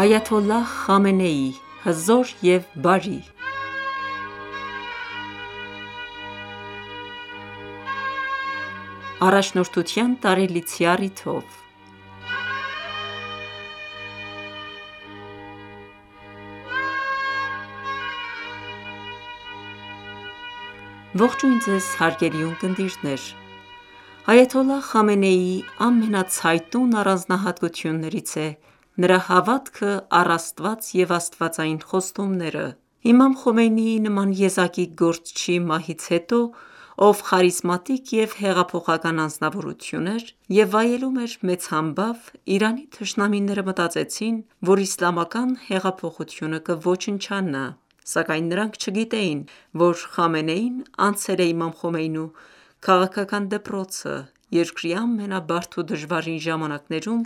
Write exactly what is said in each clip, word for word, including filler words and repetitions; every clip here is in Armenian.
Այաթոլլահ Խամենեի, հզոր և բարի առաջնորդության տարելիցի առիթով Ողջույն ձեզ հարգելի ունկնդիրներ: Այաթոլլահ Խամենեիի ամենացայտուն առանձնահատկություններից է նրա հավատքը առ Աստված և աստվածային խոստումները: Իմամ Խոմեյնիի նման եզակի գործչի մահից հետո, ով խարիզմատիկ և հեղափոխական անձնավորություն էր և վայելում էր մեծ համբավ, Իրանի թշնամիները մտածեցին, որ իսլամական հեղափոխությունը կոչնչանա: Սակայն նրանք չգիտեին, որ Խամենեին անցել է իմամ Խոմեյնու քաղաքական դպրոցը, երկրի ամենաբարդ ու դժվարին ժամանակներում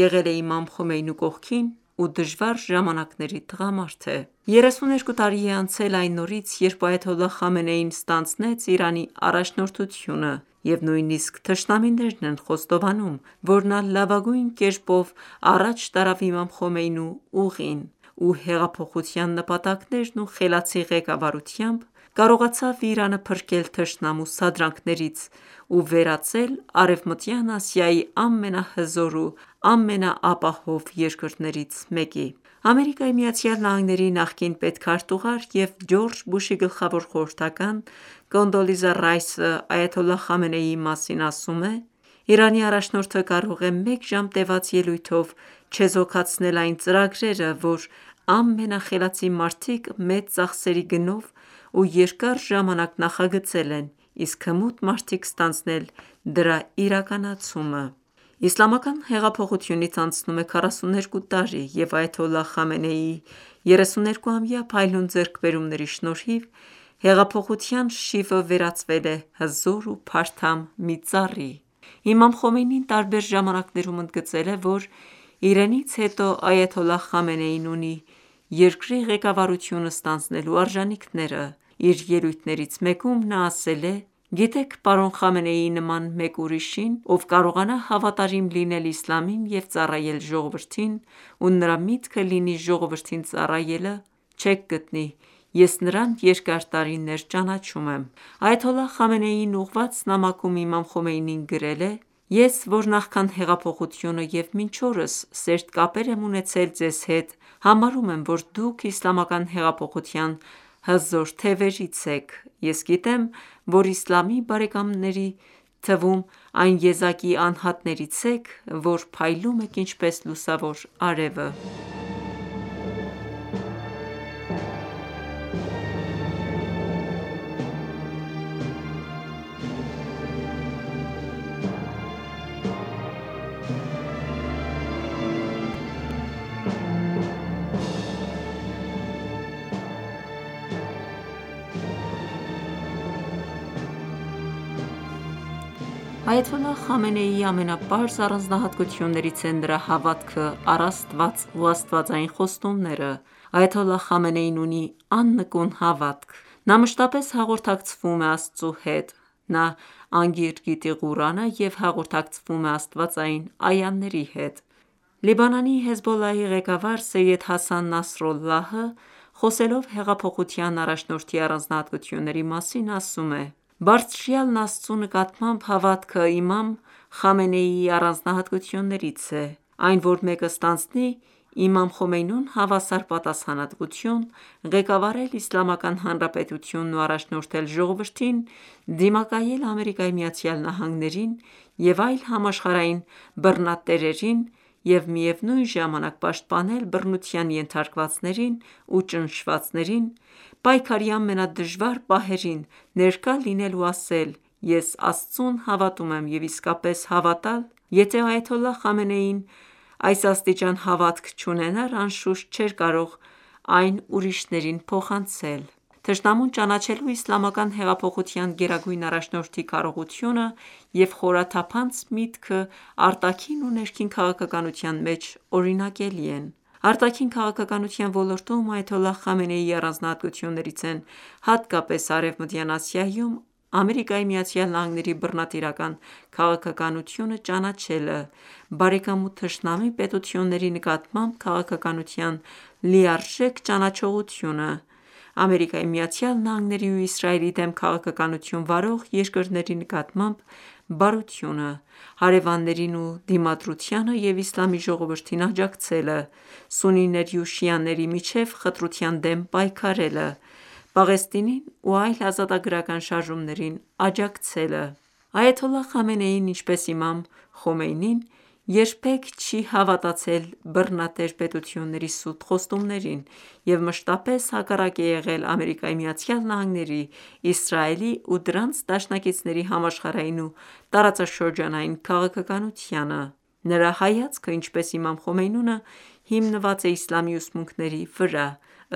եղել է իմամ Խոմեյնու կողքին ու դժվար ժամանակների տղամարդ է: երեսուներկու տարի է անցել այն օրից, երբ այաթոլլահ Խամենեին ստանձնեց Իրանի առաջնորդությունը և նույնիսկ թշնամիներն են խոստովանում, որ նա լավագույն կերպով առաջ տարավ իմամ Խոմեյնու ուղին ու հեղափոխության նպատակներն ու խելացի ղեկավարությամբ կարողացավ Իրանը փրկել թշնամու սադրանքներից ու վերածել Արևմտյան Ասիայի ամենահզոր ու ամենաապահով երկրներից մեկի: ԱՄՆ-ի նախկին պետքարտուղար և Ջորջ Բուշի գլխավոր խորհրդական Կոնդոլիզա Ռայսը այաթոլլահ Խամենեիի մասին ասում է. «Իրանի առաջնորդը կարող է մեկ ժամ տևած ելույթով չեզոքացնել այն ծրագրերը, որ ամենախելացի մարդիկ մեծ ծախսերի գնով ու երկար ժամանակ նախագծել են, իսկ հմուտ մարդիկ ստանձնել դրա իրականացումը»: Իսլամական հեղափոխությունից անցնում է քառասուներկու տարի և այաթոլլահ Խամենեիի երեսուներկուամյա փայլուն ձեռքբերումների շնորհիվ հեղափոխության շիվը վերածվել է հզոր ու փարթամ մի ծառի: Իմամ Խոմեյնին տարբեր ժամանակներում ընդգծել է, որ իրենից հետո այաթոլլահ Խամենեին ունի երկրի ղեկավարությունը ստանձնելու արժանինքները: Իր ելույթներից մեկում նա ասել է. «Գիտեք պարոն Խամենեիի նման մեկ ուրիշին, ով կարողանա հավատարիմ լինել իսլամին և ծառայել ժողովրդին ու նրա միտքը լինի ժողովրդին ծառայելը, չեք գտնի: Ես նրան երկար տարիներ ճանաչում եմ»: Այաթոլլահ Խամենեիին ուղղված նամակում իմամ Խոմեյնին գրել է. «Ես, որ նախքան հեղափոխությունը և մինչ օրս սերտ կապեր եմ ունեցել ձեզ հետ, համարում եմ, որ դուք իսլամական հեղափոխության հզոր թևերից եք: Ես գիտեմ, որ իսլամի բարեկամների թվում այն եզակի անհատներից եք, որ փայլում եք ինչպես լուսավոր արևը»: Այաթոլլահ Խամենեիի ամենապարզ առանձնահատկություններից է նրա հավատքը առ Աստված ու աստվածային խոստումները: Այաթոլլահ Խամենեին ունի աննկուն հավատք: Նա մշտապես հաղորդակցվում է Աստծու հետ: Նա անգիր գիտի Ղուրանը և հաղորդակցվում է աստվածային այաների հետ: Լիբանանի Հեզբոլլահի ղեկավար Սեյյեդ Հասան Նասրալլահը խոսելով հեղափոխության առաջնորդի առանձնահատկությունների մասին ասում է. «Բարձրյալն Աստծու նկատմամբ հավատքը իմամ Խամենեիի առանձնահատկություններից է: Այն, որ մեկը ստանձնի իմամ Խոմեյնուն հավասար պատասխանատվություն ղեկավարել Իսլամական Հանրապետությունն ու առաջնորդել ժողովրդին դիմակայել ԱՄՆ-ին և այլ համաշխարհային բռնատերերին և միևնույն ժամանակ պաշտպանել բռնության ենթարկվածներին ու ճնշվածներին, պայքարի ամենադժվար պահերին ներկա լինել ու ասել. «Ես Աստծուն հավատում եմ» և իսկապես հավատալ: Եթե այաթոլլահ Խամենեին այս աստիճան հավատք չունենար, անշուշտ չէր կարող այն ուրիշներին փոխանցել: Թշնամուն ճանաչելու իսլամական հեղափոխության գերագույն առաջնորդի քարոզությունը և խորաթափանց միտքը արտաքին ու ներքին քաղաքականության մեջ օրինակելի են: Արտաքին քաղաքականության ոլորտում այաթոլլահ Խամենեիի առանձնահատկություններից են հատկապես Արևմտյան Ասիայում Ամերիկայի Միացյալ Նահանգների բռնատիրական քաղաքականությունը ճանաչելը, բարեկամ ու թշնամի պետությունների նկատմամբ քաղաքականության լիարժեք ճանաչողությունը, Ամերիկայի Միացյալ Նահանգների ու Իսրայելի դեմ քաղաքականություն վարող երկրների նկատմամբ բարությունը, հարևաններին ու դիմադրությանը և իսլամի ժողովրդին աջակցելը, սուննիների ու շիաների միջև խտրության դեմ պայքարելը, Պաղեստինին ու այլ ազատագրական շարժումներին աջակցելը: Այաթոլլահ Խամենեին, ինչպես Իմամ Խոմեյնին, երբեք չի հավատացել բռնատեր պետությունների սուտ խոստումներին և մշտապես հակառակ է եղել ԱՄՆ-ի, Իսրայելի ու դրանց դաշնակիցների համաշխարհային ու տարածաշրջանային քաղաքականությանը: Նրա հայացքը, ինչպես Իմամ Խոմեյնուն, հիմնված է իսլամի ուսմունքների վրա,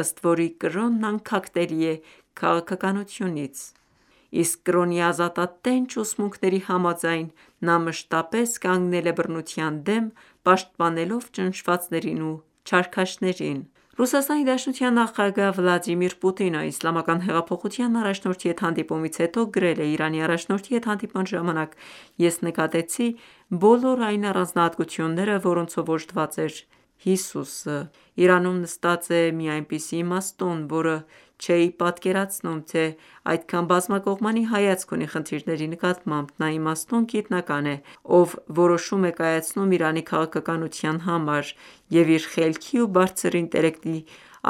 ըստ որի կրոնն անքակտելի է քաղաքականությունից: Իսկ կրոնի ազատատենչ ուսմունքների համաձայն, նա մշտապես կանգնել է բռնության դեմ, պաշտպանելով ճնշվածներին ու չարքաշներին: ՌԴ նախագահ Վլադիմիր Պուտինը Իսլամական հեղափոխության առաջնորդի հետ հանդիպումից հետո գրել է. «Իրանի առաջնորդի հետ հանդիպման ժամանակ ես նկատեցի բոլոր այն առանձնահատկությունները, որոնցով օժտված էր Հիսուսը: Իրանում նստած է մի այնպիսի իմաստուն, որը չէի պատկերացնում, թե այդքան բազմակողմանի հայացք ունի խնդիրների նկատմամբ: Նա իմաստուն գիտնական է, ով որոշում է կայացնում Իրանի քաղաքականության համար և իր խելքի ու բարձր ինտելեկտի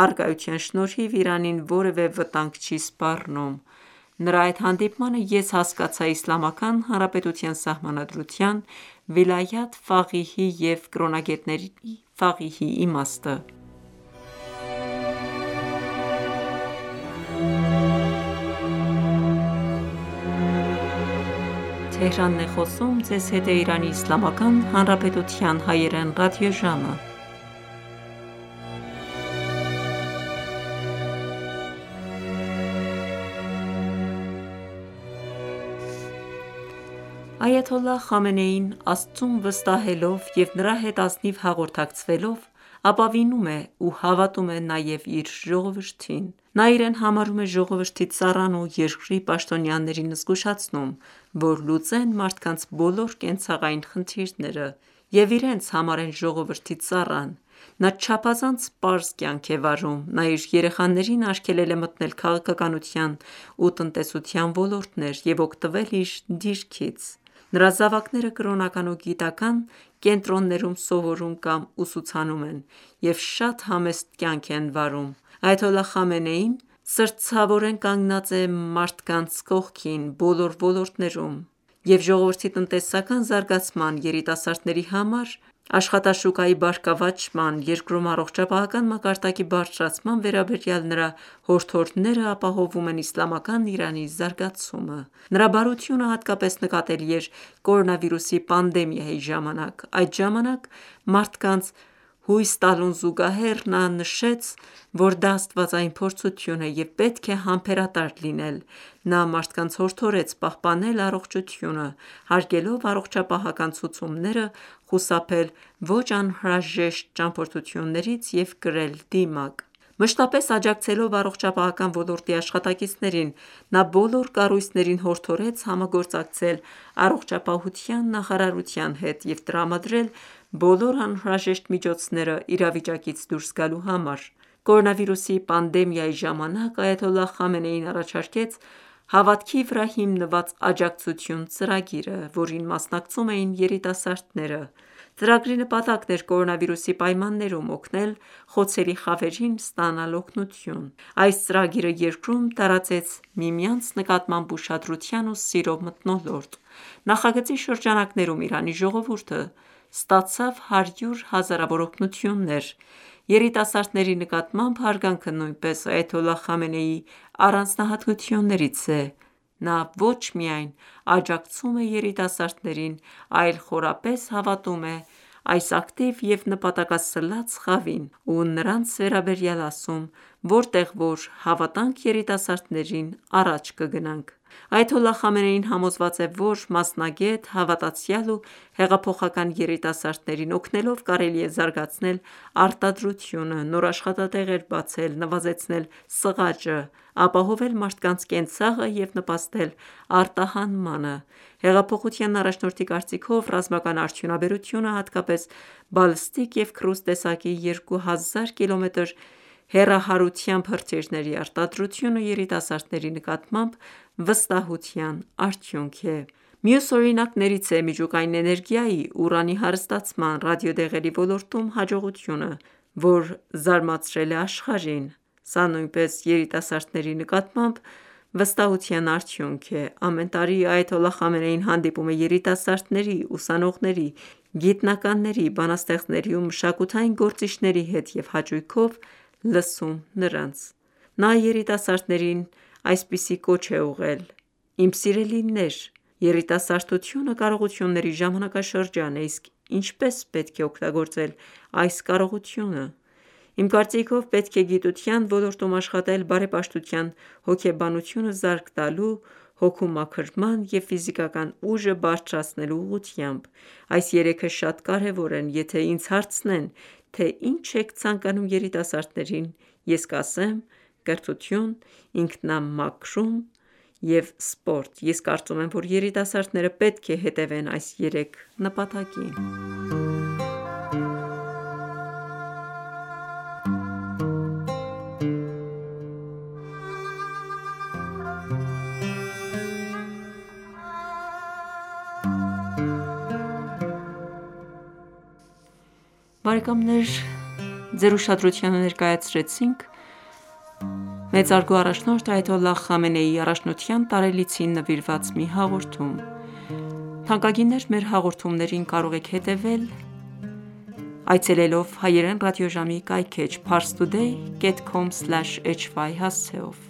առկայության շնորհիվ Իրանին որևէ վտանգ չի սպառնում: Նրա այդ հանդիպմանը ես հասկացա Իսլամական Հանրապետության Սահմանադրության, վիլայաթ ֆաղիհի և կրոնագետների ֆաղիհի իմաստը»: Այաթոլլահ Խամենեին, Աստծուն վստահելով և նրա հետ ազնիվ հաղորդակցվելով, ապավինում է ու հավատում է նաև իր ժողովրդին: Նա իրեն համարում է ժողովրդի ծառան ու երկրի պաշտոնյաներին զգուշացնում, որ լուծեն մարդկանց բոլոր կենցաղային խնդիրները և իրենց համարեն ժողովրդի ծառան: Նա չափազանց պարզ կյանք է վարում: Նա իր երեխաներին արգելել է մտնել քաղաքականության ու տնտեսության ոլորտներ և օգտվել իր դիրքից: Նրա զավակները կրոնական ու գիտական կենտրոններում սովորում կամ ուսուցանում են և շատ համեստ կյանք են վարում: Այաթոլլահ Խամենեին սրտացավորեն կանգնած է մարդկանց կողքին բոլոր ոլորտներում և ժողովրդի տնտեսական զարգացման, երիտասարդների համար աշխատաշուկայի բարգավաճման, երկրում առողջապահական մակարդակի բարձրացման վերաբերյալ նրա հորդորները ապահովում են իսլամական Իրանի զարգացումը: Նրա բարությունը հատկապես նկատելի էր կորոնավիրուսի պանդեմիայի ժամանակ: Այդ ժամանակ մարդկանց հույս տալուն զուգահեռ, նա նշեց, որ դա աստվածային փորձություն է և պետք է համբերատար լինել: Նա մարդկանց հորդորեց պահպանել առողջությունը, հարգելով առողջապահական ցուցումները, խուսափել ոչ անհրաժեշտ ճամփորդություններից և կրել դիմակ: Մշտապես աջակցելով առողջապահական ոլորտի աշխատակիցներին, նա բոլոր կառույցներին հորդորեց համագործակցել առողջապահության նախարարության հետ և տրամադրել բոլոր անհրաժեշտ միջոցները իրավիճակից դուրս գալու համար: Կորոնավիրուսի պանդեմիայի ժամանակ Այաթոլլահ Խամենեին առաջարկեց «Հավատքի վրա հիմնված աջակցություն» ծրագիրը, որին մասնակցում էին երիտասարդները: Ծրագրի նպատակն էր կորոնավիրուսի պայմաններում օգնել խոցելի խավերին ստանալ օգնություն: Այս ծրագիրը երկրում տարածեց միմյանց նկատմամբ ուշադրության ու սիրո մթնոլորտ: Նախագծի շրջանակներում Իրանի ժողովուրդը ստացավ հարյուր հազարավոր օգնություններ: Երիտասարդների նկատմամբ հարգանքը նույնպես Այաթոլլահ Խամենեիի առանձնահատկություններից է: Նա ոչ միայն աջակցում է երիտասարդներին, այլ խորապես հավատում է այս ակտիվ և նպատակասլաց խավին ու նրանց վերաբերյալ ասում. «Որտեղ որ հավատանք երիտասարդներին, առաջ կգնանք»: Այաթոլլահ Խամենեին համոզված է, որ մասնագետ, հավատացյալ ու հեղափոխական երիտասարդներին օգնելով կարելի է զարգացնել արտադրությունը, նոր աշխատատեղեր բացել, նվազեցնել սղաճը, ապահովել մարդկանց կենցաղը և նպաստել արտահանմանը: Հեղափոխության առաջնորդի կարծիքով, ռազմական արդյունաբերությունը, հատկապես բալիստիկ և քրուզ տեսակի երկու հազար կիլոմետր հեռահարությամբ հրթիռների արտադրությունը երիտասարդների նկատմամբ վստահության արդյունք է: Մյուս օրինակներից է միջուկային էներգիայի, ուրանի հարստացման, ռադիոդեղերի ոլորտում հաջողությունը, որ զարմացրել է աշխարհին: Սա նույնպես երիտասարդների նկատմամբ վստահության արդյունք է: Ամեն տարի այաթոլլահ Խամենեին հանդիպում է երիտասարդների, ուսանողների, գիտնականների, բանաստեղծների ու մշակութային գործիչների հետ և հաճույքով լսում նրանց: Նա երիտասարդներին այսպիսի կոչ է ուղղել. «Իմ սիրելիներ, երիտասարդությունը կարողությունների ժամանակաշրջան է, իսկ ինչպե՞ս պետք է օգտագործել այս կարողությունը: Իմ կարծիքով պետք է գիտության ոլորտում աշխատել բարեպաշտության հոգեբանությունը զարկ տալու, հոգու մաքրման և ֆիզիկական ուժը բարձրացնելու ուղղությամբ: Այս երեքը շատ կարևոր են: Եթե ինձ հարցնեն, թե ինչ եք ցանկանում երիտասարդներին, ես կասեմ կրթություն, ինքնամաքրում և սպորտ: Ես կարծում եմ, որ երիտասարդները պետք է հետևեն այս երեք նպատակին»: Բարեկամներ ձեր ուշադրությանը ներկայացրեցինք մեծարգո առաջնորդ այաթոլլահ Խամենեիի առաջնության տարելիցին նվիրված մի հաղորդում: Թանկագիններ մեր հաղորդումներին կարող եք հետևել այցելելով հայերեն ռադիոժամի կայքէջ parstoday dot com slash hy հասցեով: